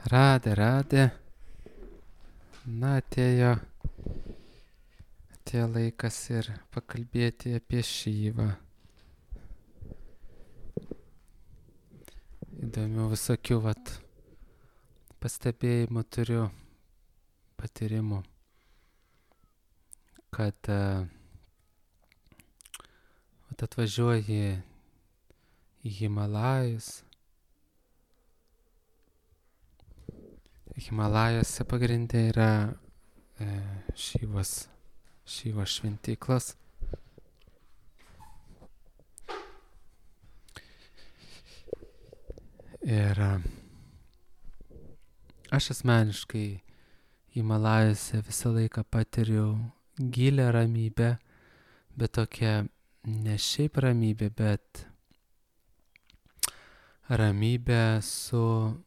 Radė. Na, atėjo laikas ir pakalbėti apie Šyvą. Įdomių visokių pastebėjimų turiu, patyrimų, kad atvažiuoji į Himalajus. Himalajose pagrindė yra Šyvos šventyklos. Ir aš asmeniškai Himalajose visą laiką patiriu gilią ramybę, bet tokia ne šiaip ramybė, bet ramybė su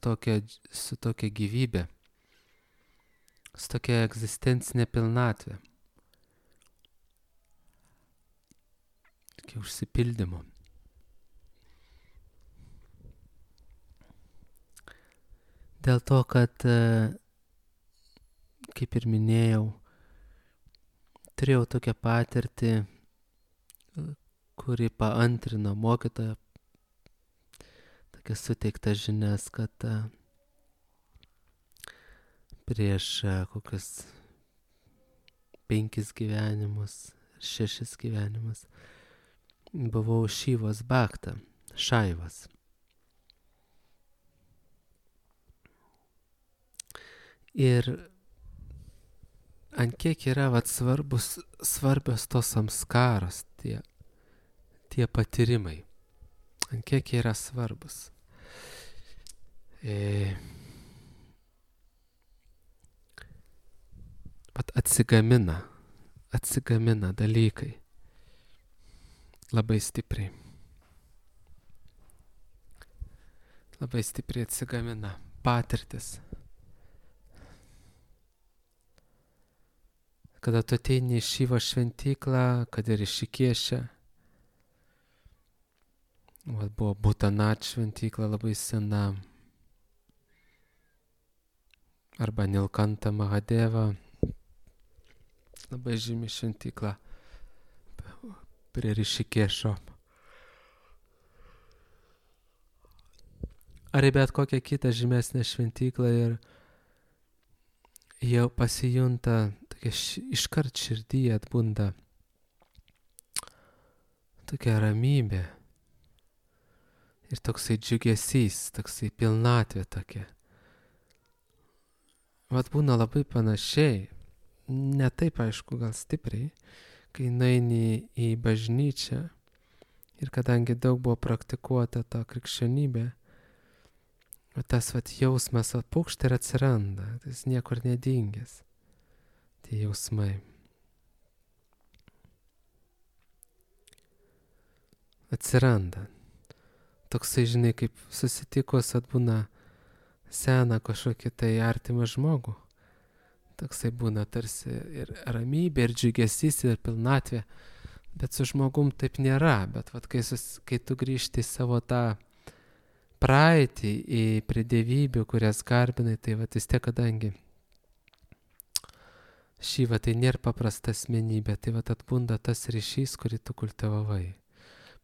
tokia gyvybė, su tokia egzistencinė pilnatvė, tokia užsipildymo. Dėl to, kad, kaip ir minėjau, turėjau tokią patirtį, kuri paantrino mokytojo tokias suteiktas žinias, kad prieš kokius 5 gyvenimus, 6 gyvenimus buvau Šyvos bhakta, Šaivas. Ir ant kiek yra svarbios tos samskaros, tie patyrimai, ant kiek yra svarbus. Atsigamina dalykai labai stipriai. Labai stipriai atsigamina patirtis. Kada tu ateini į Šyvos šventyklą, kad ir iš Išikėšę, buvo Bhutanat šventykla labai sena, arba Nilkanta Mahadeva, labai žymi šventykla prie Išikėšo. Ar į bet kokią kitą žymesnę šventyklą ir jau pasijunta, iškart širdyje atbunda tokia ramybė ir toksai džiugesys, toksai pilnatvė tokia. Būna labai panašiai, ne taip aišku, gal stipriai, kai nueini į bažnyčią ir kadangi daug buvo praktikuota ta krikščionybė, tas jausmas pukšt ir atsiranda, jis niekur nedingęs, tie jausmai. Atsiranda. Toksai, žinai, kaip susitikus atbūna seną kažkokį tai artimą žmogų. Toksai būna tarsi ir ramybė, ir džiugesys, ir pilnatvė. Bet su žmogum taip nėra. Bet kai tu grįžti į savo tą praeitį, į pridėvybių, kurias garbinai, tai vis tiek, kadangi Šyva tai nėra paprasta asmenybė, tai atbunda tas ryšys, kurį tu kultivavai.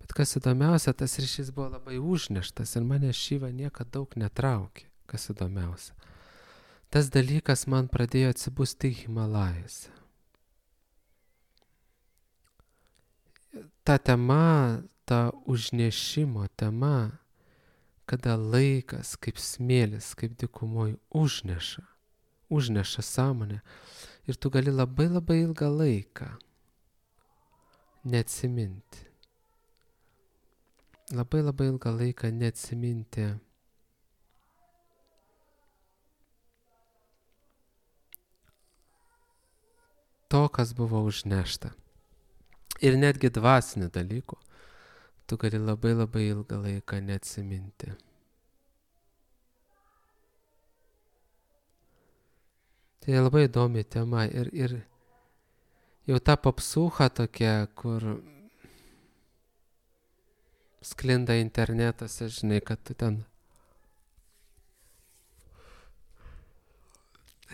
Bet kas įdomiausia, tas ryšys buvo labai užneštas ir mane Šyva niekada daug netraukė, kas įdomiausia. Tas dalykas man pradėjo atsibusti Himalajose. Ta tema, ta užnešimo tema, kada laikas kaip smėlis, kaip dykumoj užneša sąmonę ir tu gali labai labai ilgą laiką neatsiminti. Labai labai ilgą laiką neatsiminti to, kas buvo užnešta. Ir netgi dvasinių dalykų tu gali labai labai ilgą laiką neatsiminti. Tai labai įdomi tema ir jau ta popsucha tokia, kur sklinda internetuose, žinai, kad tu ten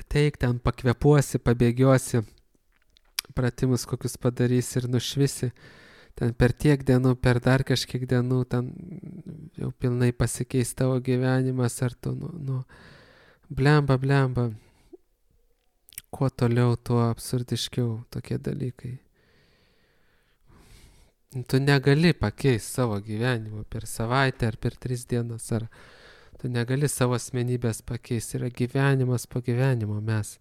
ateik, ten pakvepuosi, pabėgiosi, pratimus kokius padarysi ir nušvisi. Ten per tiek dienų, per dar kažkiek dienų, ten jau pilnai pasikeis tavo gyvenimas, ar tu, blemba. Kuo toliau, tuo absurdiškiau tokie dalykai. Tu negali pakeisti savo gyvenimo per savaitę ar per 3 dienas, ar tu negali savo asmenybės pakeisti. Yra gyvenimas po gyvenimo, mes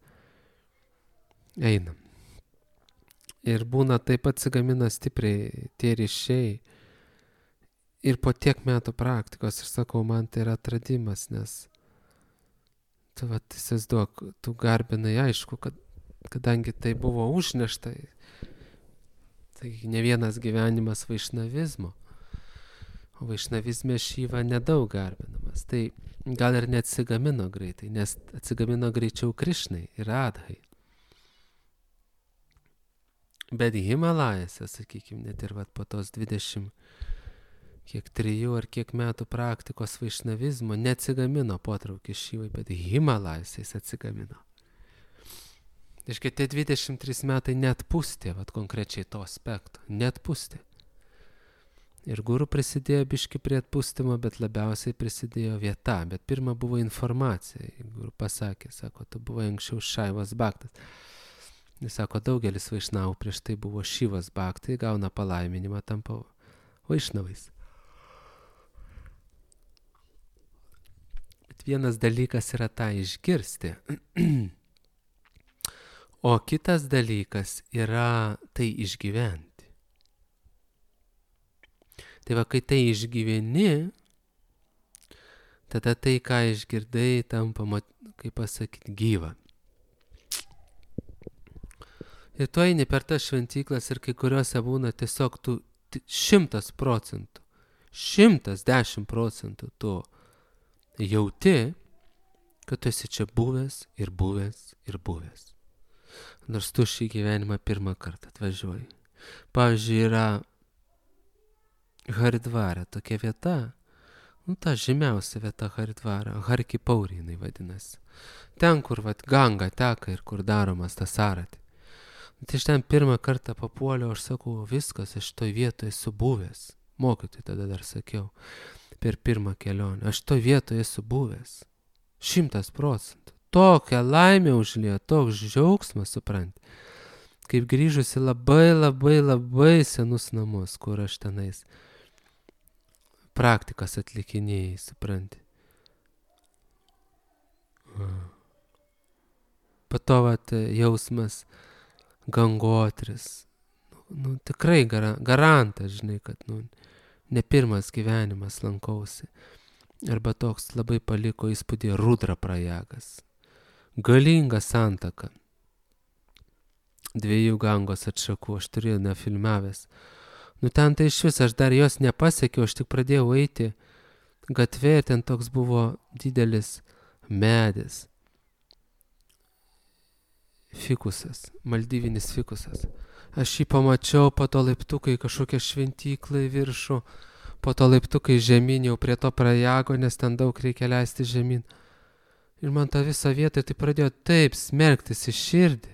einam. Ir būna taip atsigamina stipriai tie ryšiai. Ir po tiek metų praktikos, aš sakau, man tai yra atradimas, nes tu įsivaizduok, tu garbinai, aišku, kadangi tai buvo užnešta, tai ne vienas gyvenimas vaišnavizmo, o vaišnavizme Šiva nedaug garbinamas. Tai gal ir neatsigamino greitai, nes atsigamino greičiau Krišnai ir Radhai. Bet Himalajose, sakykime, net ir po tos 3 ar kiek metų praktikos vaišnavizmo neatsigamino potraukis Šivai, bet Himalajose jis atsigamino. Iškai tie 23 metai net pūstė, konkrečiai to aspekto, net pūstė. Ir guru prisidėjo biški prie atpūstimo, bet labiausiai prisidėjo vieta. Bet pirma buvo informacija. Guru pasakė, sako, tu buvai anksčiau Šaivas Bhaktas. Jis sako, daugelis vaišnavų prieš tai buvo Šivas Bhaktai, gauna palaiminimą, tampa vaišnavais. Bet vienas dalykas yra tą išgirsti. O kitas dalykas yra tai išgyventi. Tai kai tai išgyveni, tada tai, ką išgirdai, tampa, kaip pasakyti, gyva. Ir tu eini per tas šventyklas ir kai kuriuose būna tiesiog tu 100%, 110% tu jauti, kad tu esi čia buvęs. Nors tu šį gyvenimą pirmą kartą atvažiuoji. Pavyzdžiui, yra Haridvara tokia vieta, ta žymiausia vieta Haridvara, Harki Pauri jinai vadinasi. Ten, kur Ganga teka ir kur daromas tas arati. Tai iš ten pirmą kartą papuoliau, aš sakau, viskas, aš toj vietoje esu buvęs. Mokytojai tada dar sakiau, per pirmą kelionę. Aš toj vietoje esu buvęs. 100%. Tokia laimė užliejo, toks džiaugsmas, supranti. Kaip grįžusi labai senus namus, kur aš tenais praktikas atlikinėjai, supranti. Po to jausmas Gangotris. Tikrai garantas, žinai, kad ne pirmas gyvenimas lankausi. Arba toks labai paliko įspūdį Rudra Prajagas. Galinga santaka. 2 Gangos atšakų, aš turėjau nefilmavęs. Ten tai iš vis, aš dar jos nepasiekiau, aš tik pradėjau eiti gatvė ir ten toks buvo didelis medis. Fikusas, maldyvinis fikusas. Aš jį pamačiau, po to laiptukai kažkokia šventykla į viršų, po to laiptukai žemyn jau prie to Prajago, nes ten daug reikia leisti žemyn. Ir man tą visą vietą tai pradėjo taip smerktis į širdį.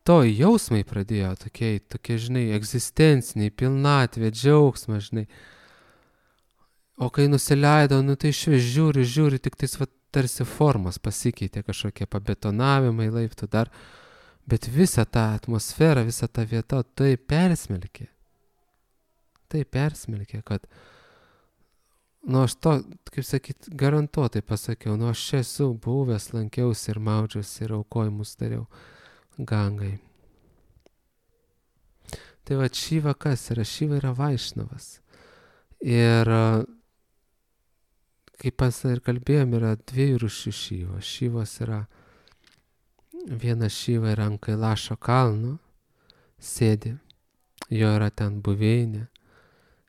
To jausmai pradėjo tokie, žinai, egzistenciniai, pilnatvė, džiaugsmas, žinai. O kai nusileido, tai išvis žiūri, tik tais tarsi formos pasikeitė, kažkokie pabetonavimai, laiptų dar. Bet visą tą atmosferą, visą tą vietą tai persmelkė. Tai persmelkė, kad, aš to, kaip sakyt, garantuotai pasakiau, aš čia esu buvęs, lankiausi ir maudžiausi ir aukojimus dariau Gangai. Tai Šiva kas yra? Šiva yra Vaišnavas. Ir kaip ir kalbėjom, yra 2 rūšių Šyvos. Šyvos yra, viena Šyva yra ant Kailašo kalno, sėdi, jo yra ten buveinė.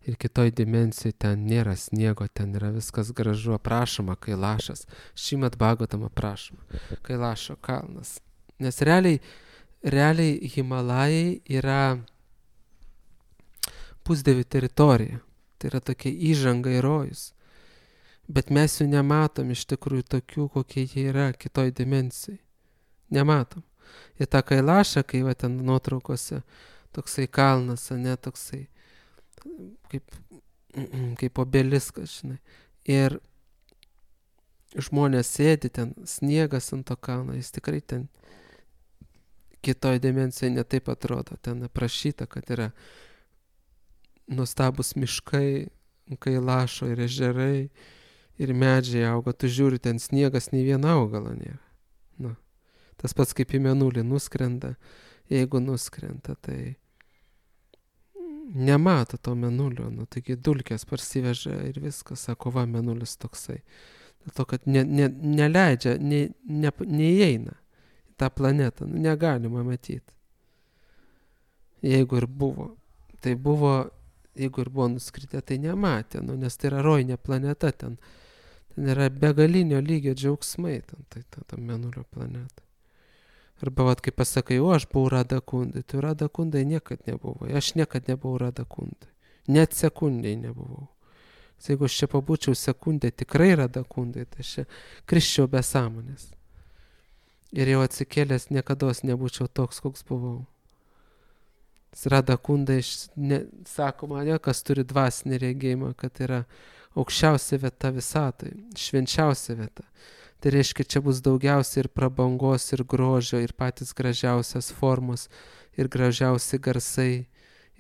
Ir kitoj dimensijai ten nėra sniego, ten yra viskas gražu, aprašoma Kailašas. Šimad Bhagavatam aprašoma Kailašo kalnas. Nes realiai Himalajai yra pusdievių teritorija. Tai yra tokia įžanga į rojus. Bet mes jų nematom iš tikrųjų tokių, kokie jie yra kitoj dimensijai. Nematom. Ir tą Kailašą, kai va ten nuotraukose, toksai kalnas, ne toksai, kaip obeliskas, žinai. Ir žmonės sėdi ten, sniegas ant to kalno, jis tikrai ten kitoj dimensijai netaip atrodo. Ten aprašyta, kad yra nuostabus miškai, Kailašo ir ežerai, ir medžiai auga. Tu žiūri, ten sniegas nei vieno augalo nėra. Nu. Tas pats kaip į Mėnulį nuskrenda. Jeigu nuskrenda, tai nemato to Mėnulio. Nu, taigi dulkės parsiveža ir viskas. Sako, va, Mėnulis toksai. Dėl to, kad neleidžia, neįeina į tą planetą. Nu, negalima matyti. Jeigu ir buvo. Tai buvo, jeigu ir buvo nuskritę, tai nematė. Nu, nes tai yra rojinė planeta. Ten yra begalinio lygio džiaugsmai. Tam Mėnulio planeta. Arba, vat, kai pasakai, o aš buvau Radakundai, tai Radakundai niekad nebuvau. Aš niekad nebuvau Radakundai. Net sekundai nebuvau. Jeigu aš čia pabūčiau sekundę tikrai Radakundai, tai aš čia krisčiau be sąmonės. Ir jau atsikėlęs niekados nebūčiau toks, koks buvau. Radakundai, sakoma, ne, kas turi dvasinį regėjimą, kad yra aukščiausia vieta visatai, švenčiausia vieta. Tai reiškia, čia bus daugiausiai ir prabangos, ir grožio, ir patys gražiausias formos, ir gražiausi garsai,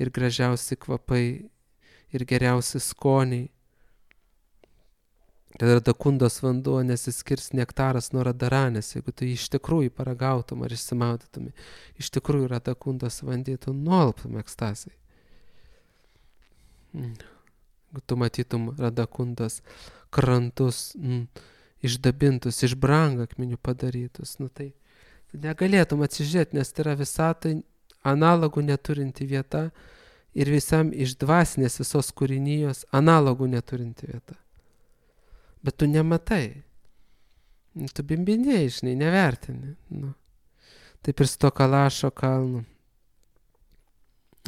ir gražiausi kvapai, ir geriausi skoniai. Tai Radakundos vanduo nesiskirs nektaras nuo Radaranės, jeigu tu jį iš tikrųjų paragautum ar išsimaudytum, iš tikrųjų Radakundos vandenį, tu nualptum ekstazai. Jeigu tu matytum Radakundos krantus, išdabintus, iš brangakmenių padarytus, nu tai negalėtum atsižiūrėti, nes tai yra visatai analogų neturinti vieta ir visam iš dvasinės visos kūrinijos analogų neturinti vieta. Bet tu nematai. Tu bimbinėjai, žinai, nevertini. Nu. Taip ir su to Kailašo kalnu.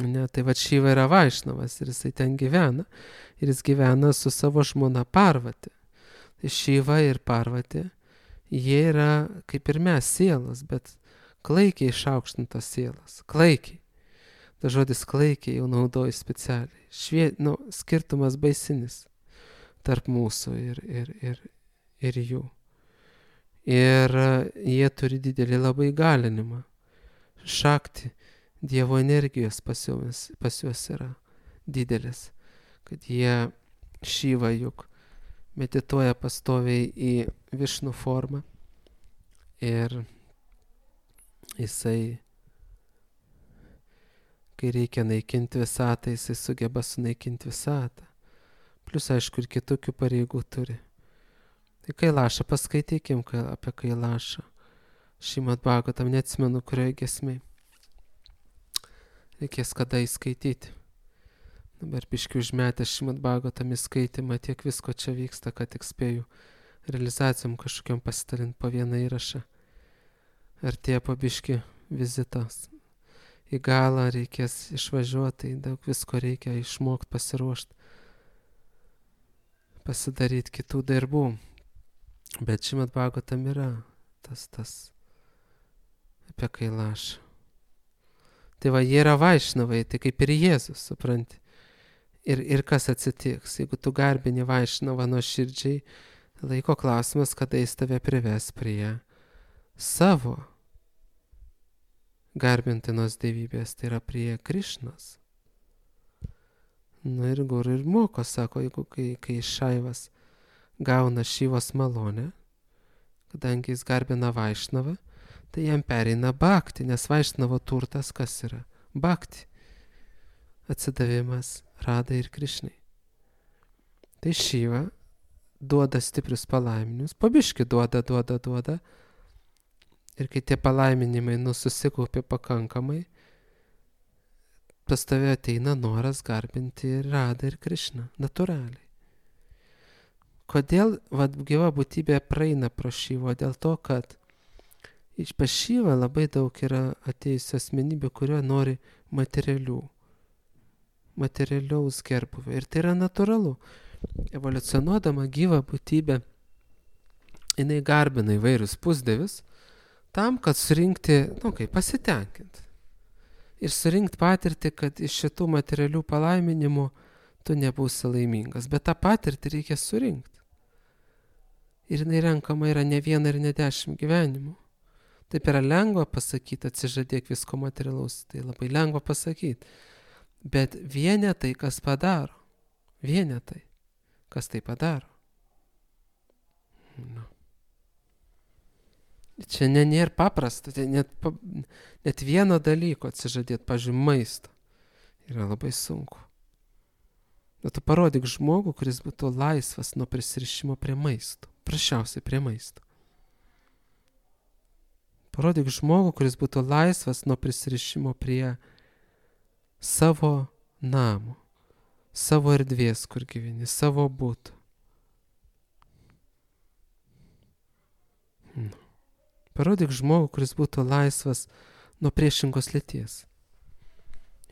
Ne, tai va Šiva yra Vaišnavas ir jisai ten gyvena. Ir jis gyvena su savo žmona Parvati. Tai Šiva ir Parvati, jie yra kaip ir mes sielos, bet klaikiai išaukštintos sielos. Klaikiai. Ta žodis klaikiai jau naudoju specialiai. Skirtumas baisinis tarp mūsų ir jų. Ir jie turi didelį labai galinimą. Šakti, Dievo energijos pas juos yra didelis. Kad jie Šiva juk medituoja pastoviai į Višnų formą. Ir jisai, kai reikia naikinti visatą, jisai sugeba sunaikinti visatą. Plus, aišku, ir kitokių pareigų turi. Tai Kailašą paskaitykim apie Kailašą. Šimad Bhagavatam, neatsimenu, kurioje giesmėje. Reikės kada įskaityti. Dabar biškiu užmetęs Šimad Bhagavatam įskaitymą, tiek visko čia vyksta, kad tik spėju realizacijom kažkokiam pasitalint po vieną įrašą. Artėja po biški vizitas. Į galą reikės išvažiuoti, daug visko reikia išmokti, pasiruošti. Pasidaryti kitų darbų. Bet Šimad Bhagavatam yra tas apie Kailašą. Tai va, jie yra Vaišnavai, tai kaip ir Jėzus, supranti. Ir kas atsitiks, jeigu tu garbini Vaišnavą nuoširdžiai, laiko klausimas, kada jis tave prives prie savo garbintinos dievybės, tai yra prie Krišnos. Na ir guru ir moko, sako, jeigu kai Šaivas gauna Šivos malonę, kadangi jis garbina Vaišnavą, tai jam pereina bhakti, nes Vaišnavo turtas kas yra? Bhakti. Atsidavimas Radai ir Krišnai. Tai Šiva duoda stiprius palaiminimus, pabiški duoda. Ir kai tie palaiminimai susikaupia pakankamai, pas tave ateina noras garbinti ir Radą ir Krišną, natūraliai. Kodėl gyva būtybė praeina pro Šyvą? Dėl to, kad pas Šyvą labai daug yra atėjusių asmenybių, kurie nori materialių materialiaus gerbuvio. Ir tai yra natūralu. Evoliucionuodama gyva būtybė, jinai garbina įvairius pusdievius tam, kad surinkti, pasitenkinti. Ir surinkti patirtį, kad iš šitų materialių palaiminimų tu nebūsi laimingas. Bet tą patirtį reikia surinkti. Ir jinai renkama yra ne 1 ir ne 10 gyvenimų. Taip yra lengva pasakyti, atsižadėk visko materialaus. Tai labai lengva pasakyti. Bet vienetai, kas padaro. Vienetai, kas tai padaro. Čia nėra paprasta. Net vieno dalyko atsižadėti, pavyzdžiui, maisto. Yra labai sunku. Bet tu parodyk žmogų, kuris būtų laisvas nuo prisirišimo prie maisto. Prašiausiai prie maisto. Parodyk žmogų, kuris būtų laisvas nuo prisirišimo prie savo namo, savo erdvės, kur gyveni, savo būtų. Parodyk žmogų, kuris būtų laisvas nuo priešingos lyties.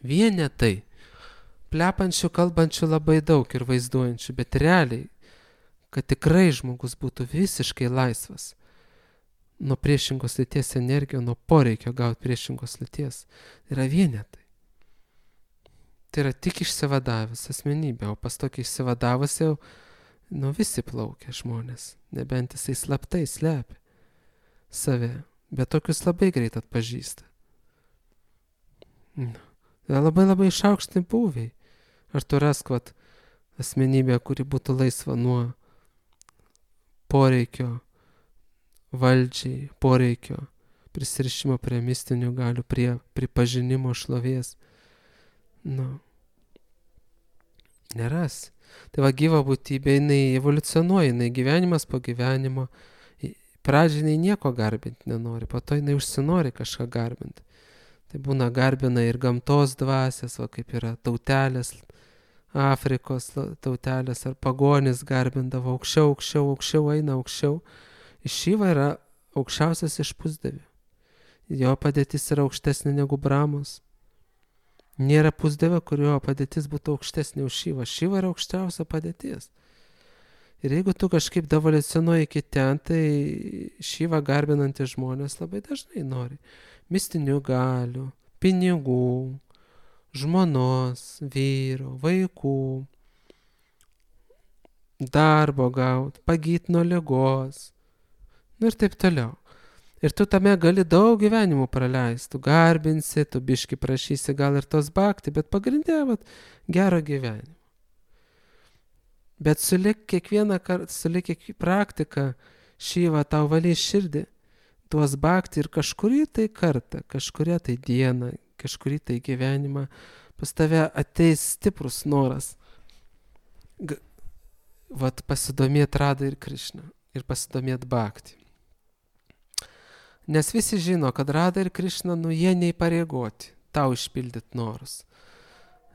Vienetai, plepančių, kalbančių labai daug ir vaizduojančių, bet realiai, kad tikrai žmogus būtų visiškai laisvas nuo priešingos lyties energijos, nuo poreikio gauti priešingos lyties, yra vienetai. Tai yra tik išsivadavęs asmenybė, o pas tokį išsivadavus jau, visi plaukia žmonės, nebent jisai slaptai slepia save, bet tokius labai greit atpažįsta. Labai labai išaukšti būviai. Ar tu rask asmenybę, kuri būtų laisva nuo poreikio valdžiai, poreikio prisirišimo prie mistinių galių, prie pripažinimo šlovės. Neras. Tai gyva būtybė, jinai evoliucionuoja, jinai gyvenimas po gyvenimo. Pradžiai jinai nieko garbinti nenori, po to jinai užsinori kažką garbinti. Tai būna garbina ir gamtos dvasias, kaip yra tautelės, Afrikos tautelės ar pagonis garbindavo aukščiau, eina aukščiau. Šiva yra aukščiausias iš pusdievių. Jo padėtis yra aukštesnė negu Brahmos. Nėra pusdievio, kurio padėtis būtų aukštesnė už Šivą. Šiva yra aukščiausia padėtis. Ir jeigu tu kažkaip evoliucionuoji iki ten, tai Šivą garbinantys žmonės labai dažnai nori mistinių galių, pinigų, žmonos, vyro, vaikų, darbo gauti, pagyti nuo ligos, ir taip toliau. Ir tu tame gali daug gyvenimų praleisti, tu garbinsi, tu biški prašysi gal ir tos bhakti, bet pagrindė gero gyvenimo. Bet sulik kiekvieną kartą, sulik praktiką, Šiva tau valys širdį, tuos bhakti ir kažkurį tai kartą, kažkuria tai dieną, kažkurį tai gyvenimą, pas tave ateis stiprus noras pasidomėti Radha ir Krišna ir pasidomėti bhakti. Nes visi žino, kad Radha ir Krišna, jie neįpareigoti tau išpildyti norus.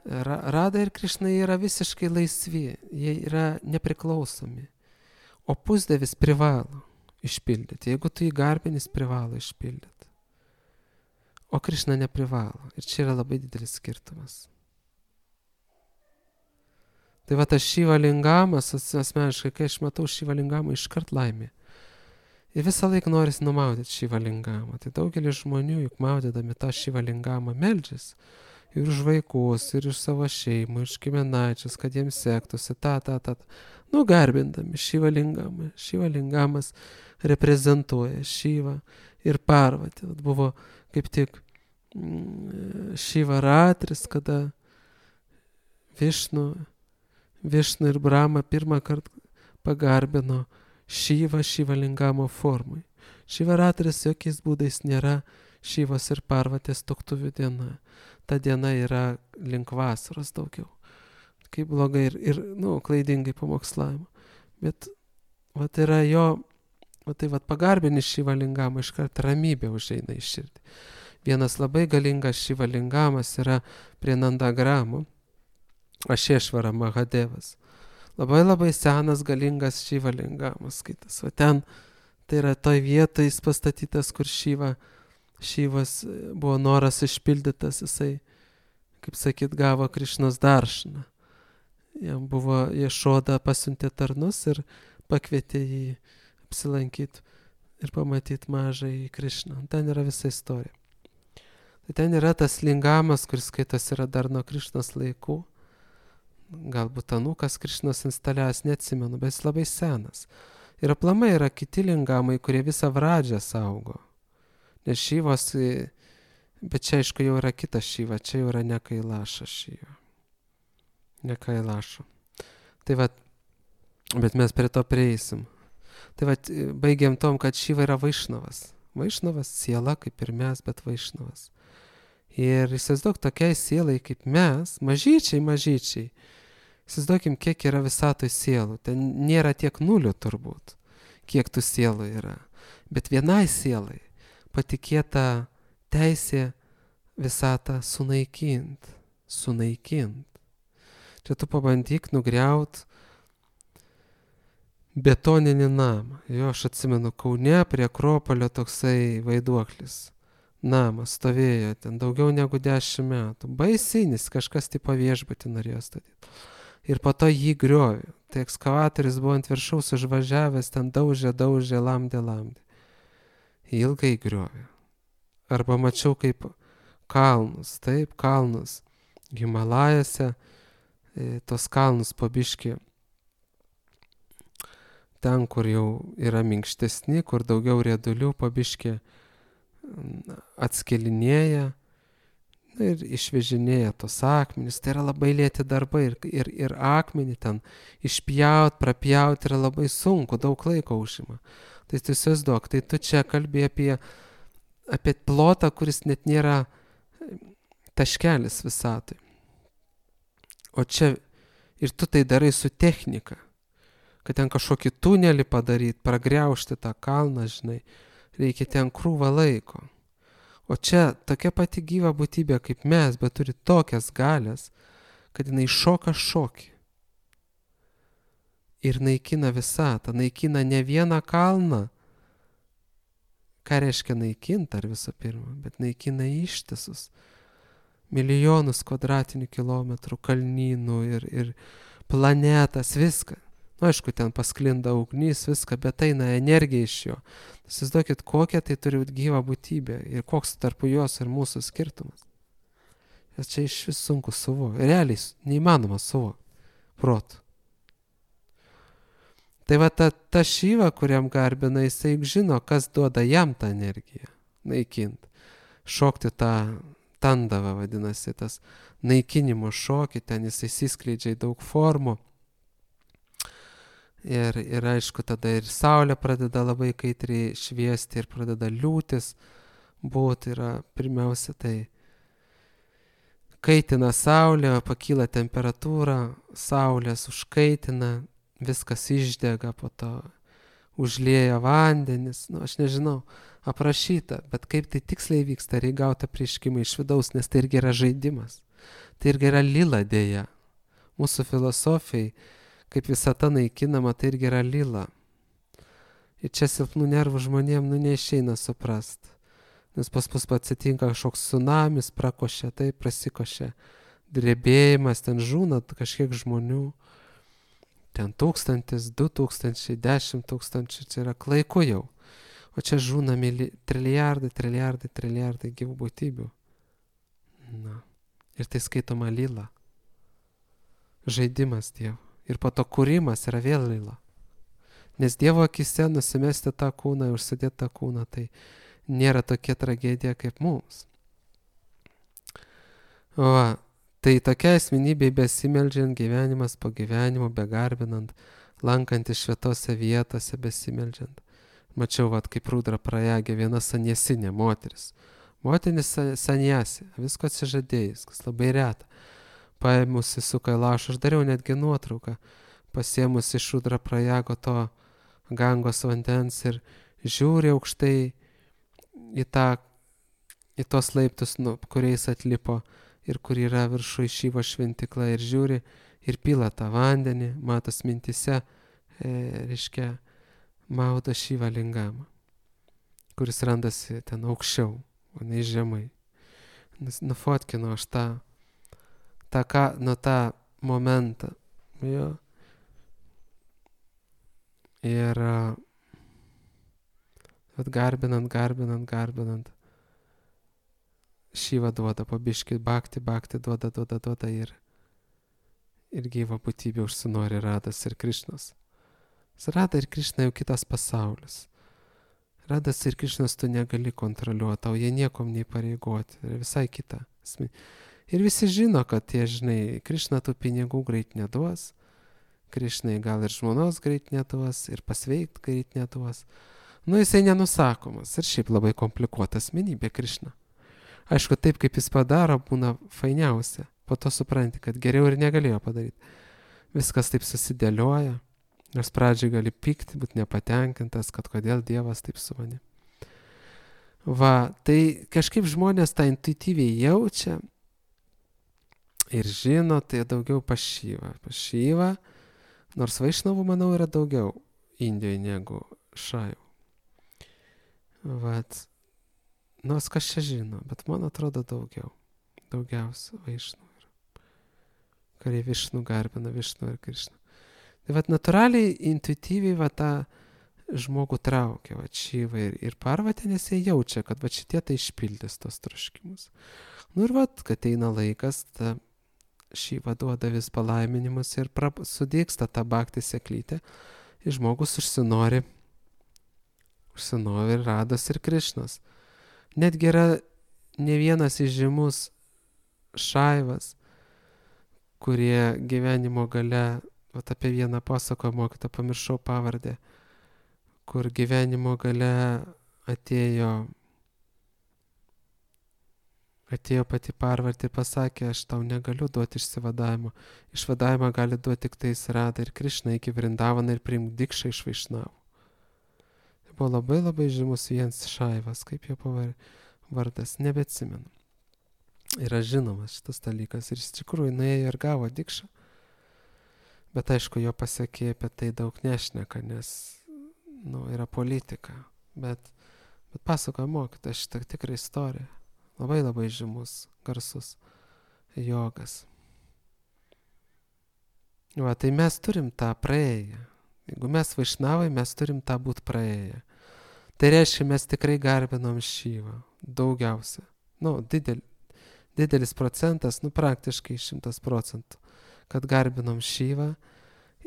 Radha ir Krišna yra visiškai laisvi, jie yra nepriklausomi. O pusdievis privalo išpildyti. Jeigu tu jį garbinis, privalo išpildyti. O Krišna neprivalo. Ir čia yra labai didelis skirtumas. Tai tas Šiva lingamas, asmeniškai, kai aš matau Šiva lingamą, iškart laimė. Ir visą laiką noris numaudyti Šiva lingamą. Tai daugelis žmonių, juk maudydami tą Šiva lingamą, meldžias ir už vaikus, ir už savo šeimą, ir už giminaičius, kad jiems sektųsi, garbindami Šiva lingamą. Šiva lingamas reprezentuoja Šivą ir Parvatį. Buvo kaip tik Šiva ratris, kada Višnu ir Brahma pirmą kartą pagarbino Šiva lingamo formai. Šiva ratris jokiais būdais nėra Šivos ir Parvatės tuoktuvių diena. Ta diena yra link vasaros daugiau. Kaip blogai ir klaidingai pamokslavimo. Bet yra jo, pagarbini Šiva lingamą, iškart ramybė užeina į širdį. Vienas labai galingas Šiva lingamas yra prie Nandagramo, Ašešvara Mahadevas. Labai labai senas galingas Šiva lingamas skaitas. Ten tai yra toj vietoje jis pastatytas, kur Šivas buvo noras išpildytas, jisai kaip sakyt, gavo Krišnos daršną. Jam buvo Ješoda pasiuntė tarnus ir pakvietė jį apsilankyti ir pamatyti mažąjį Krišną. Ten yra visa istorija. Tai ten yra tas lingamas, kuris skaitos yra dar nuo Krišnos laikų. Galbūt anūkas Krišnos instaliavęs, neatsimenu, bet jis labai senas. Ir aplamai yra kiti lingamai, kurie visą Vradžią saugo. Nes Šyvos, bet čia aišku jau yra kita Šyva, čia jau yra ne Kailaša Šyva. Ne Kailašo. Tai vat, bet mes prie to prieisim. Tai vat, baigiam tom, kad Šyva yra Vaišnavas. Vaišnavas, siela kaip ir mes, bet Vaišnavas. Ir įsivaizduok tokiai sielai kaip mes, mažyčiai. Įsivaizduokim, kiek yra visatoj sielų. Ten nėra tiek nulių turbūt, kiek tų sielų yra. Bet vienai sielai patikėta teisė visatą sunaikint. Čia tu pabandyk nugriaut betoninį namą. Jo, aš atsimenu, Kaune prie Akropolio toksai vaiduoklis. Namas stovėjo ten daugiau negu 10 metų. Baisinis, kažkas tipo viešbutį norėjo statyti. Ir po to jį griovė. Tai ekskavatorius buvo ant viršaus užvažiavęs, ten daužė, lamdė. Ilgai griovė. Arba mačiau kaip kalnus. Himalajose, tos kalnus po biškį. Ten, kur jau yra minkštesni, kur daugiau riedulių, po biškį atskelinėja ir išvežinėja tos akmenis. Tai yra labai lėti darbai ir akmenį ten išpjaut, prapjaut yra labai sunku, daug laiko užima. Tai tu įsivaizduok, tai tu čia kalbi apie plotą, kuris net nėra taškelis visatoj. O čia ir tu tai darai su technika, kad ten kažkokį tunelį padaryti, pragriaužti tą kalną, žinai. Reikia ten krūvą laiko. O čia tokia pati gyva būtybė kaip mes, bet turi tokias galias, kad jinai šoka šokį. Ir naikina visatą, naikina ne vieną kalną. Ką reiškia naikinti ar visų pirma, bet naikina ištisus milijonus kvadratinių kilometrų kalnynų ir planetas, viską. Nu, aišku, ten pasklinda ugnis, viską, bet eina energija iš jo. Įsivaizduokit, kokia tai turi būti gyva būtybė ir koks tarp jos ir mūsų skirtumas. Nes čia iš vis sunku suvokti. Realiai neįmanoma suvokti. Protu. Tai va ta Šyva, kuriam garbina, jisai žino, kas duoda jam tą energiją. Naikint. Šokti tą tandavą, vadinasi, tas naikinimo šokį, ten jisai įsiskleidžia į daug formų. Ir aišku, tada ir saulė pradeda labai kaitriai šviesti ir pradeda liūtis būti. Yra pirmiausia tai kaitina saulė, pakyla temperatūra, saulės užkaitina, viskas išdega, po to užlieja vandenis. Nu, aš nežinau, aprašyta, bet kaip tai tiksliai vyksta, reikia gauti apreiškimą iš vidaus, nes tai irgi yra žaidimas. Tai irgi yra lila dėja. Mūsų filosofijai, kaip visata naikinama, tai irgi yra lila. Ir čia silpnų nervų žmonėm neišeina suprast. Nes pas mus atsitinka kažkoks tsunamis, prakošia, tai prasikošia drebėjimas, ten žūna kažkiek žmonių. Ten 1000, 2000, 10 000, čia yra klaiku jau. O čia žūna trilijardai gyvų būtybių. Na. Ir tai skaitoma lila. Žaidimas Dievo. Ir po to kūrimas yra vėl lila. Nes Dievo akise nusimesti tą kūną ir užsidėti tą kūną, tai nėra tokia tragedija kaip mums. Va, tai tokia asmenybė besimeldžiant, gyvenimas po gyvenimo, begarbinant, lankantis šventose vietose, besimeldžiant. Mačiau, kaip Rudra Prajagė, viena sanjesinė moteris. Moteris sanjasi, visko atsižadėjus, kas labai reta. Paėmusi su Kailašu, aš dariau netgi nuotrauką, pasėmusi iš Rudra Prajago to Gangos vandens ir žiūri aukštai į tos laiptus, kuriais atlipo ir kur yra viršui Šyvos šventikla, ir žiūri ir pila tą vandenį, matos mintise, reiškia, maudo Šyvą lingamą, kuris randasi ten aukščiau, o ne žemai. Nufotkinu aš tą tą momentą. Jo. Ir garbinant, Šiva duoda po biškį, Bhakti duoda ir gyva būtybė užsinori Radas ir Krišnos. Rada ir Krišna jau kitas pasaulis. Radas ir Krišnas tu negali kontroliuoti, tau jie niekom neįpareigoti, tai visai kita. Ir visi žino, kad Krišna tų pinigų greit neduos, Krišnai gal ir žmonos greit neduos, ir pasveikt greit neduos. Jisai nenusakomas ir šiaip labai komplikuota asmenybė Krišna. Aišku, taip kaip jis padaro, būna fainiausia. Po to supranti, kad geriau ir negalėjo padaryti. Viskas taip susidėlioja. Nors pradžiai gali pykti, būti nepatenkintas, kad kodėl Dievas taip su manim. Tai kažkaip žmonės tą intuityviai jaučia ir žino, tai daugiau pašyva. Pašyva, nors vaišnavų, manau, yra daugiau Indijoje negu šaivų. Nors kas čia žino, bet man atrodo daugiausia vaišnavų yra. Kurie Višnu garbina, Višnu ir Krišną. Tai natūraliai, intuityviai tą žmogų traukia, Šiva ir Parvatė, nes jie jaučia, kad šitie tai išpildys tos troškimus. Ir kad eina laikas, ta Šiva duoda vis palaiminimus ir sudėksta tą Bhakti seklytę ir žmogus užsinori Rados ir Krišnos. Netgi yra ne vienas įžymus šaivas, kurie gyvenimo gale, apie vieną pasakojo mokytą, pamiršau pavardę, kur gyvenimo gale atėjo pati Parvatė ir pasakė, aš tau negaliu duoti išsivadavimo. Išvadavimą gali duoti tik tais Rada ir Krišna iki Vrindavaną ir priimk dikšą iš Vaišnavų. Tai buvo labai labai žymus vienas šaivas, kaip jo vardas, nebeatsimenu. Yra žinomas šitas dalykas ir iš tikrųjų nuėjo ir gavo dikšą. Bet aišku, jo pasiekė apie tai daug nešneka, nes yra politika. Bet pasakoja mokytojas šitą tikrą istoriją. Labai labai žymus, garsus jogas. Tai mes turim tą praėję. Jeigu mes vaišnavai, mes turim tą būt praėję. Tai reiškia, mes tikrai garbinom Šyvą. Daugiausia. Didelis procentas, praktiškai 100%, kad garbinom Šyvą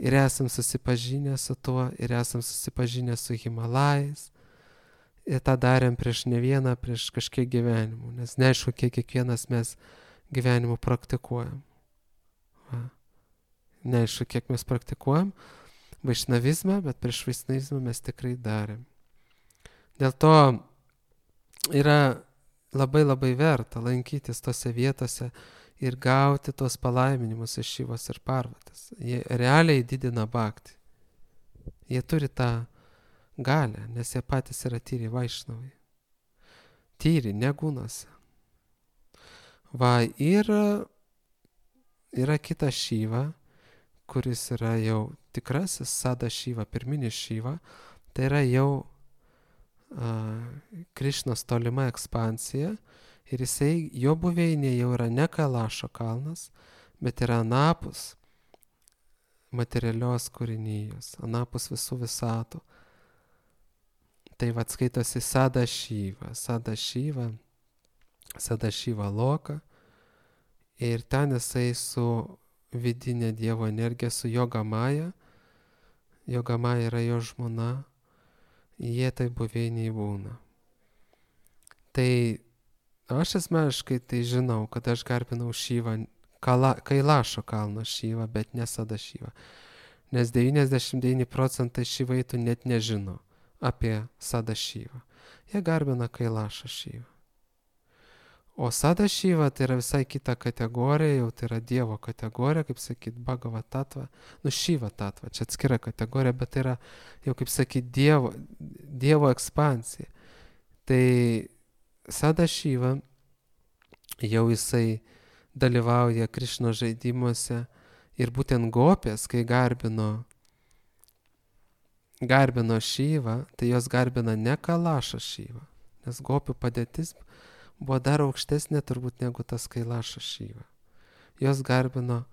ir esam susipažinę su tuo, ir esam susipažinę su Himalajais. Ir tą darėm prieš kažkiek gyvenimų, nes neaišku, kiekvienas mes gyvenimų praktikuojam. Neaišku, kiek mes praktikuojam vaišnavizmą, bet prieš vaišnavizmą mes tikrai darėm. Dėl to yra labai labai verta lankytis tose vietose ir gauti tos palaiminimus iš Šivos ir Parvatės. Jie realiai didina bhaktį. Jie turi tą galę, nes jie patys yra tyri vaišnavai. Tyri, negūnose. Ir yra kita Šiva, kuris yra jau tikrasis Sada Šiva, pirminis Šiva. Tai yra jau Krišnos tolima ekspansija. Ir jo buveinė jau yra ne Kailašo kalnas, bet yra anapus materialios kūrinijos, anapus visų visatų. Tai skaitosi Sada Šiva Loka. Ir ten jisai su vidinė Dievo energija, su Jogamaja. Jogamaja yra jo žmona. Jie tai buveiniai būna. Tai aš asmeniškai tai žinau, kad aš garbinau Šyvą, Kailašo kalno Šyvą, bet ne Sada Šyvą. Nes 99% šyvaitų net nežino apie Sada Šyvą. Jie garbina Kailašą Šyvą. O Sada Šyva tai yra visai kita kategorija, jau tai yra Dievo kategorija, kaip sakyt, Bhagava Tattva, Šiva Tattva, čia atskira kategorija, bet tai yra jau, kaip sakyt, Dievo ekspansija. Tai Sada Šyva jau jisai dalyvauja Krišnos žaidimuose ir būtent gopės, kai garbino Šyvą, tai jos garbina ne Kailašą Šyvą, nes gopių padėtis buvo dar aukštesnė turbūt negu tas Kailašo Šyva. jos garbino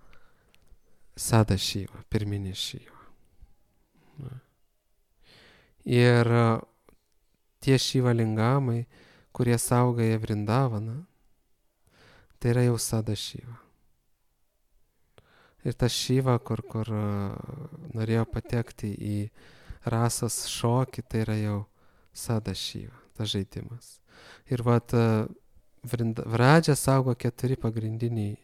Sada Šyvą, pirminį Šyvą. Ir tie Šyva lingamai, kurie saugoja Vrindavaną, tai yra jau Sada Šyva. Ir tas Šyva, kur norėjo patekti į rasos šokį, tai yra jau Sada Šyva, tas žaidimas. Ir Vradžia saugo 4 pagrindiniai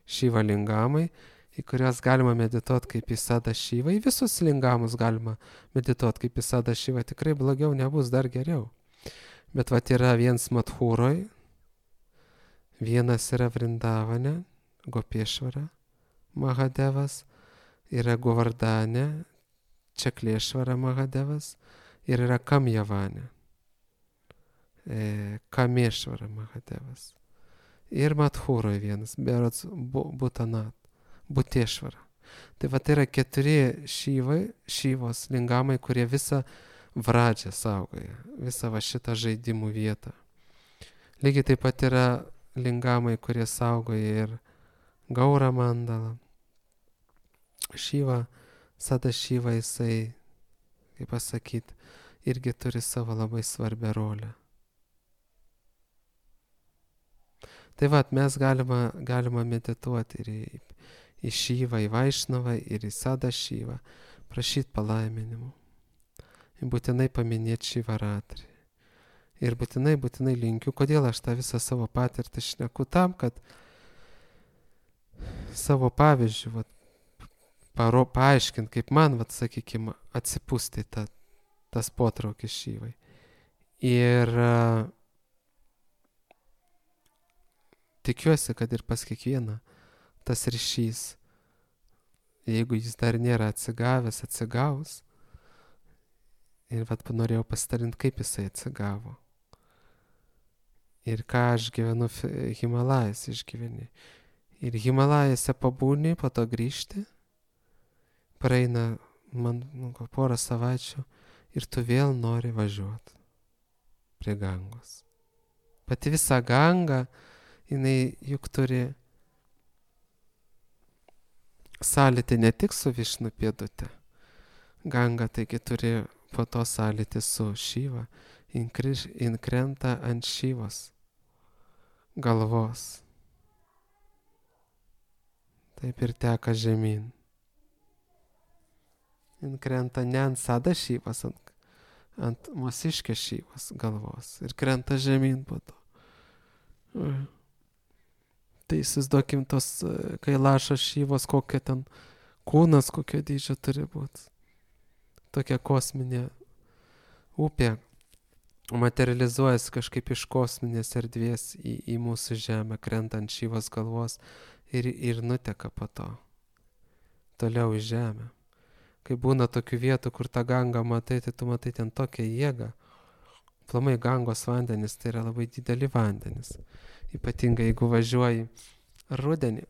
Šyva lingamai, į kurias galima medituoti kaip į Sada Šyvą. Į visus lingamus galima medituoti kaip į Sada Šyvą. Tikrai blogiau nebus, dar geriau. Bet yra vienas Madhūroj, vienas yra Vrindavane, Gopešvara, Mahadevas, yra Govardane, Čaklešvara Mahadevas ir yra Kamjavane, Kamešvara Mahadevas. Ir Madhūroj vienas, berods Butešvara. Tai yra 4 Šyvos lingamai, kurie visą Vradžią saugoja, visą šitą žaidimų vietą. Lygiai taip pat yra lingamai, kurie saugoja ir Gaura mandalą. Šyva, Sada Šyva, jisai, kaip pasakyti, irgi turi savo labai svarbią rolę. Tai mes galima medituoti ir į Šyvą, į Vaišnavą ir į Sada Šyvą, prašyti palaiminimų. Ir būtinai paminėti Šivaratri. Ir būtinai linkiu, kodėl aš tą visą savo patirtį šneku, tam, kad savo pavyzdžių paaiškint, kaip man, sakykime, atsipūsti tas potraukis Šyvai. Ir tikiuosi, kad ir pas kiekvieną tas ryšys, jeigu jis dar nėra atsigavęs, atsigaus. Ir norėjau pasidalinti, kaip jisai atsigavo. Ir ką aš gyvenu Himalajas išgyveni. Ir Himalajose pabūni, po to grįžti, praeina man porą savaičių ir tu vėl nori važiuoti prie Gangos. Pati visa Ganga, jinai juk turi sąlytį ne tik su Višnu pėdute. Ganga taigi turi po to sąlytį su Šyva, inkrenta ant Šyvos galvos. Taip ir teka žemyn. Inkrenta ne ant Sada Šyvos, ant Mūsiškės Šyvos galvos. Ir krenta žemyn po to. Tai įsivaizduokim tos Kailašo Šyvos, kokia ten kūnas, kokio dydžio turi būti. Tokia kosminė upė materializuojasi kažkaip iš kosminės erdvės į mūsų žemę, krenta ant Šyvos galvos ir nuteka po to toliau į žemę. Kai būna tokių vietų, kur tą Gangą matai, tai tu matai ten tokią jėgą. Aplamai Gangos vandenis tai yra labai dideli vandenis. Ypatingai jeigu važiuoji rudenį,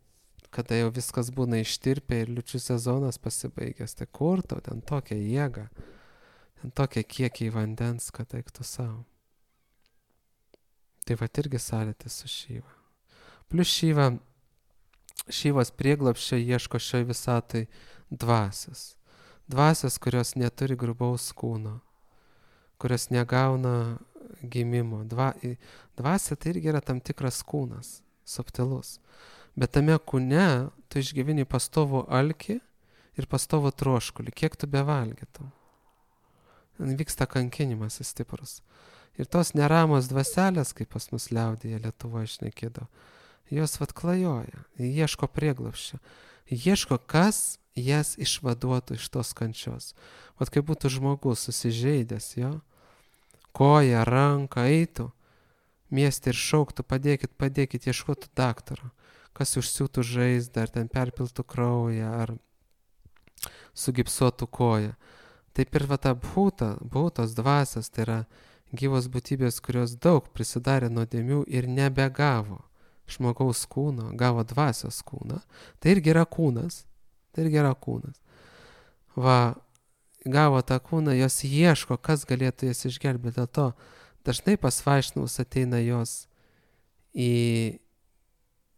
kada jau viskas būna ištirpę ir liūčių sezonas pasibaigęs, tai kur tau ten tokia jėga, ten tokie kiekiai vandens, kad eiktų savo. Tai irgi sąlytis su Šyva. Plius Šyvos prieglapščio ieško šioj visatai dvasios. Dvasios, kurios neturi grubaus kūno, kurios negauna gimimo. Dvasia tai irgi yra tam tikras kūnas, subtilus. Bet tame kūne tu išgyveni pastovų alkį ir pastovų troškulį, kiek tu bevalgytum. Vyksta kankinimas stiprus. Ir tos neramos dvaselės, kaip pas mus liaudyje Lietuvoje šnekėdavo, jos klajoja, ieško prieglapščio. Ieško, kas jas išvaduotų iš tos kančios. Kaip būtų žmogus susižeidęs, jo, koja, ranka, eitų mieste ir šauktų, padėkit, ieškotų daktaro, kas užsiūtų žaizdą, ar ten perpiltų kraują, ar sugipsuotų koją. Taip ir ta bhūtos dvasios, tai yra gyvos būtybės, kurios daug prisidarė nuodėmių ir nebegavo žmogaus kūno, gavo dvasios kūną. Tai irgi yra kūnas. Gavo tą kūną, jos ieško, kas galėtų jas išgelbėti. Dėl to dažnai pas vaišnavus ateina jos į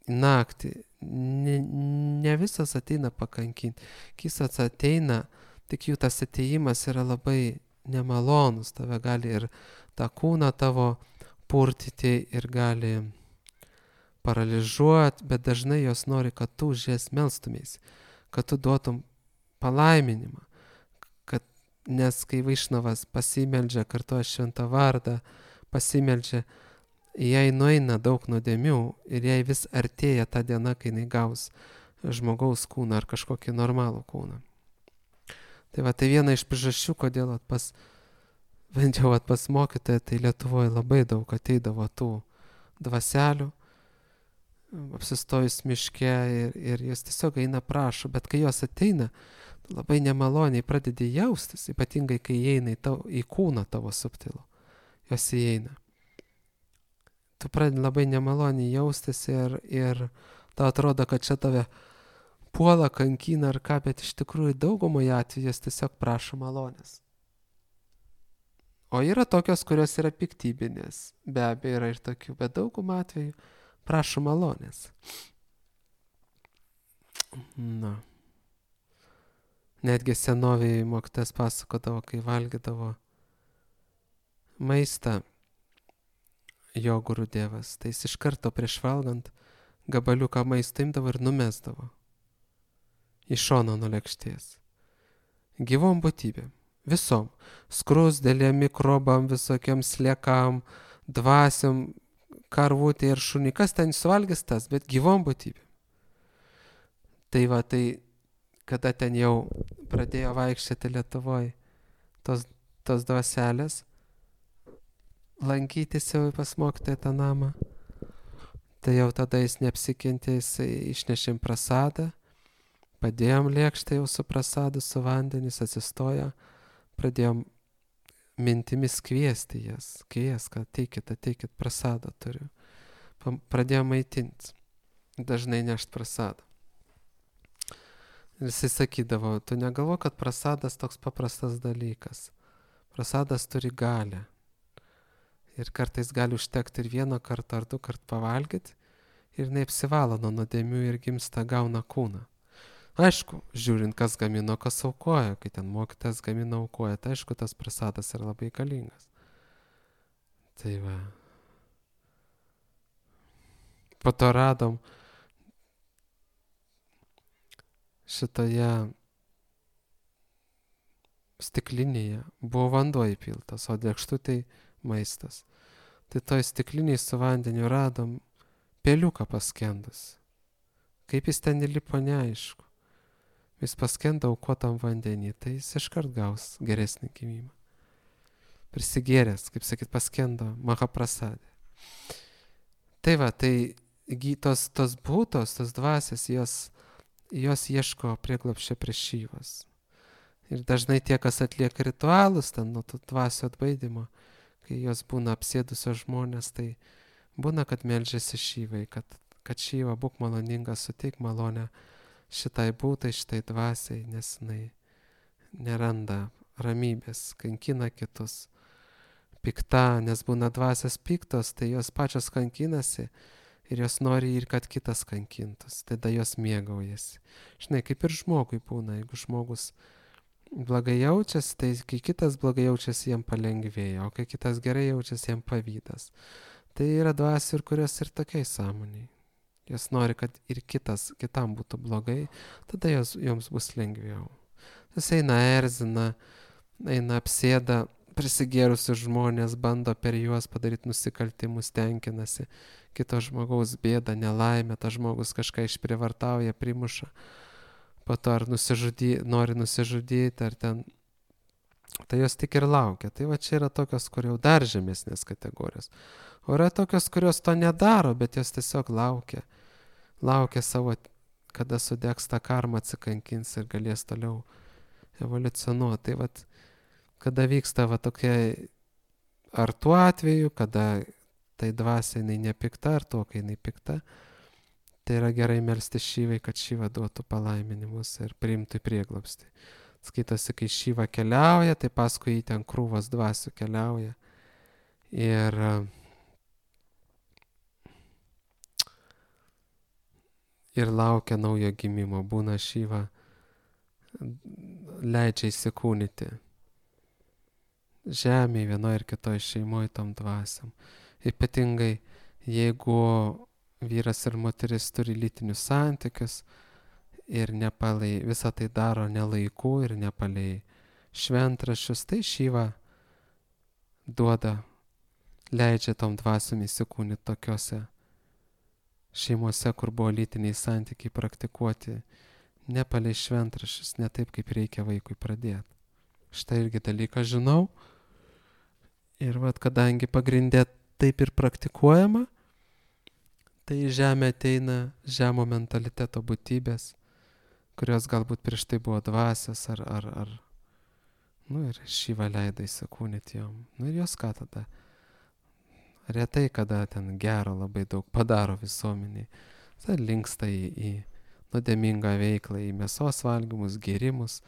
naktį. Ne visas ateina pakankinti. Kisas ateina, tik jų tas ateimas yra labai nemalonus. Tave gali ir tą kūną tavo purtyti ir gali paralyžiuoti, bet dažnai jos nori, kad tu už jas melstumės, kad tu duotum palaiminimą. Nes kai Vaišnavas pasimeldžia, kartuoja šventą vardą, pasimeldžia, jai nueina daug nuodėmių ir jai vis artėja ta diena, kai jinai gaus žmogaus kūną ar kažkokį normalų kūną. Tai va, tai viena iš priežasčių, kodėl bent jau pas mokytoją, tai Lietuvoje labai daug ateidavo tų dvaselių, apsistojus miške ir jos tiesiog eina prašo, bet kai jos ateina, labai nemaloniai pradedi jaustis, ypatingai kai įeina į kūną tavo subtilų, jos įeina. Tu pradedi labai nemaloniai jaustis ir tau atrodo, kad čia tave puola, kankina ar ką, bet iš tikrųjų daugumoje atveju jos tiesiog prašo malonės. O yra tokios, kurios yra piktybinės, be abejo yra ir tokių, bet daugumą atveju prašo malonės. Na. Netgi senovėje mokytojas pasakodavo, kai valgydavo maistą jo Gurudevas, tai jis iš karto prieš valgant gabaliuką maisto imdavo ir numesdavo į šoną nuo lėkštės. Gyvom būtybėm, visom, skrusdėlėm, mikrobam, visokiam sliekam, dvasiam, karvutė ir šunį, kas ten suvalgys tas, bet gyvom būtybėm. Tai va, tai kada ten jau pradėjo vaikščioti Lietuvoje tos dvaselės, lankytis jau pas mokytoją tą namą, tai jau tada jis neapsikentė, jis išnešėm prasadą, padėjom lėkštę jau su prasadu, su vandenis, atsistojo, pradėjom mintimis kviesti jas, kad ateikit, prasadą turiu. Pradėjom maitinti, dažnai nešt prasadą. Ir jisai sakydavo, tu negalvo, kad prasadas toks paprastas dalykas. Prasadas turi galią. Ir kartais gali užtekti ir 1 kartą ar 2 kartų pavalgyti ir neapsivalo nuo nuodėmių ir gimsta gauna kūną. Aišku, žiūrint, kas gamino, kas aukoja, kai ten mokytojas gamina aukoja, tai aišku, tas prasadas yra labai galingas. Tai va. Po to radom šitoje stiklinėje buvo vanduo įpiltas, o lėkštutėj maistas. Tai toj stikliniai su vandeniu radom peliuką paskendus. Kaip jis ten įlipo, neaišku. Jis paskendo aukotam vandenį, tai jis iškart gaus geresnį gimimą. Prisigėręs, kaip sakyt, paskendo Mahaprasadė. Tai va, tai tos būtos, tos dvasios, jos ieško prieglobsčio prieš Šyvas. Ir dažnai tie, kas atlieka ritualus, ten nuo tų dvasių atbaidymo, kai jos būna apsėdusios žmonės, tai būna, kad meldžiasi Šyvai, kad Šyva būk maloningas, suteik malonę šitai būtai, šitai dvasiai, nes jinai neranda ramybės, kankina kitus. Pikta, nes būna dvasios piktos, tai jos pačios kankinasi ir jos nori ir kad kitas kankintus, tada jos mėgaujasi. Žinai, kaip ir žmogui būna, jeigu žmogus blogai jaučiasi, tai kai kitas blogai jaučiasi, jam palengvėja, o kai kitas gerai jaučiasi, jam pavydas. Tai yra dvasių, kurios ir tokiai sąmoniai. Jos nori, kad ir kitam būtų blogai, tada joms bus lengviau. Jis eina erzina, eina apsėda, prisigėrusius žmonės, bando per juos padaryti nusikaltimus, tenkinasi, kito žmogaus bėdą, nelaimę, tas žmogus kažką išprievartauja, primuša, po to ar nori nusižudyti, ar ten, tai jos tik ir laukia. Tai va čia yra tokios, kur jau dar žemesnės kategorijos. O yra tokios, kurios to nedaro, bet jos tiesiog laukia savo, kada sudegs tą karmą, atsikankins ir galės toliau evoliucionuoti. Tai vat, kada vyksta va tokia, ar tuo atveju, kada tai dvasia jinai nepikta, ar tuo, kai jinai pikta, tai yra gerai melsti Šyvai, kad Šyva duotų palaiminimus ir priimtų į prieglobstį. Skaitosi, kai Šyva keliauja, tai paskui jį ten krūvas dvasių keliauja. Ir ir laukia naujo gimimo. Būna Šiva leidžia įsikūnyti žemėje vienoje ir kitoje šeimoje tom dvasiom. Ypatingai jeigu vyras ir moteris turi lytinius santykius ir visą tai daro ne laiku ir ne palei šventraščius, tai Šiva leidžia tom dvasiom įsikūnyti tokiose šeimose, kur buvo lytiniai santykiai praktikuoti ne palei šventraščius, ne taip, kaip reikia vaikui pradėti. Štai irgi dalyką žinau. Ir kadangi pagrindė taip ir praktikuojama, tai į žemę ateina žemo mentaliteto būtybės, kurios galbūt prieš tai buvo dvasios ar ir Šiva leido įsikūnyti jom. Ir jos ką tada? Retai kada ten gero labai daug padaro visuomeniai. Tai linksta į nuodėmingą veiklą, į mėsos valgymus, gėrimus,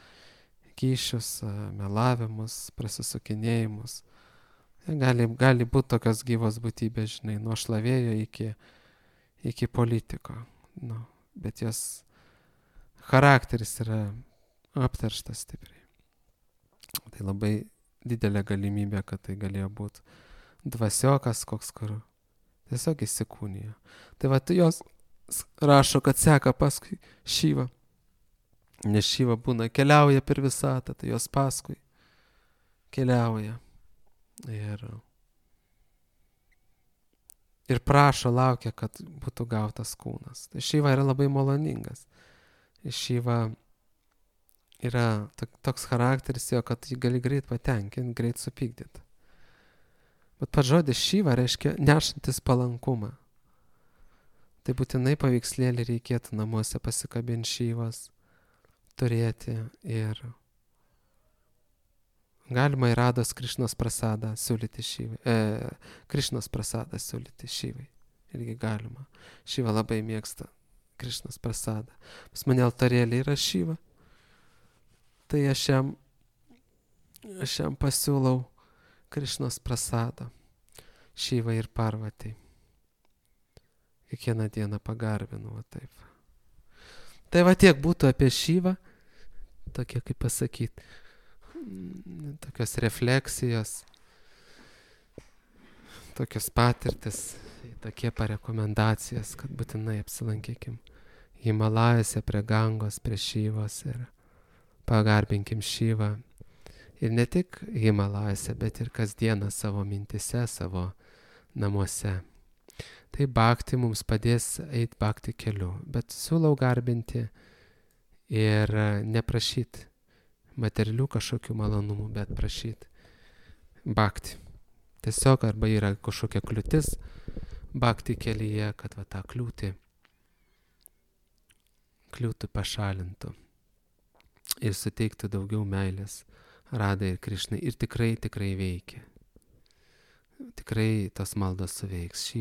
kyšius, melavimus, prasisukinėjimus. Gali būti tokios gyvos būtybės, žinai, nuo šlavėjo iki politiko. Bet jos charakteris yra apterštas stipriai. Tai labai didelė galimybė, kad tai galėjo būti dvasiokas koks, kur tiesiog įsikūnijo. Tai jos rašo, kad seka paskui Šivą. Nes Šiva būna, keliauja per visatą, tai jos paskui keliauja. Ir prašo, laukia, kad būtų gautas kūnas. Tai Šiva yra labai maloningas. Šiva yra toks charakteris jo, kad jį gali greit patenkinti, greit supykdyti. Bet pats žodis Šiva reiškia nešantis palankumą. Tai būtinai paveikslėlį reikėtų namuose pasikabinti Šivas, turėti ir galima ir Rados Krišnos prasadą siūlyti Šivai. Krišnos prasadą siūlyti Šivai. Irgi galima. Šiva labai mėgsta Krišnos prasadą. Pas mane altarėlė yra Šiva. Tai aš jam pasiūlau Krišnos prasadą. Šivai ir Parvatai. Kiekvieną dieną pagarbinu, taip. Tai tiek būtų apie Šivą. Tokie, kaip pasakyti, tokios refleksijos, tokios patirtis, tokie parekomendacijos, kad būtinai apsilankykim Himalajose prie Gangos, prie Šivos ir pagarbinkim Šivą. Ir ne tik Himalajose, bet ir kasdieną savo mintise, savo namuose. Tai bhakti mums padės eiti bhakti keliu, bet siūlau garbinti ir neprašyti materialių kažkokių malonumų, bet prašyti bhakti. Tiesiog arba yra kažkokia kliūtis bhakti kelyje, kad tą kliūtų pašalintų ir suteiktų daugiau meilės Radai ir Krišnai. Ir tikrai veikia. Tikrai tos maldos suveiks.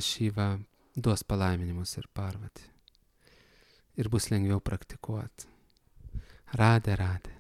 Šiva duos palaiminimus ir Parvati. Ir bus lengviau praktikuoti. Radė.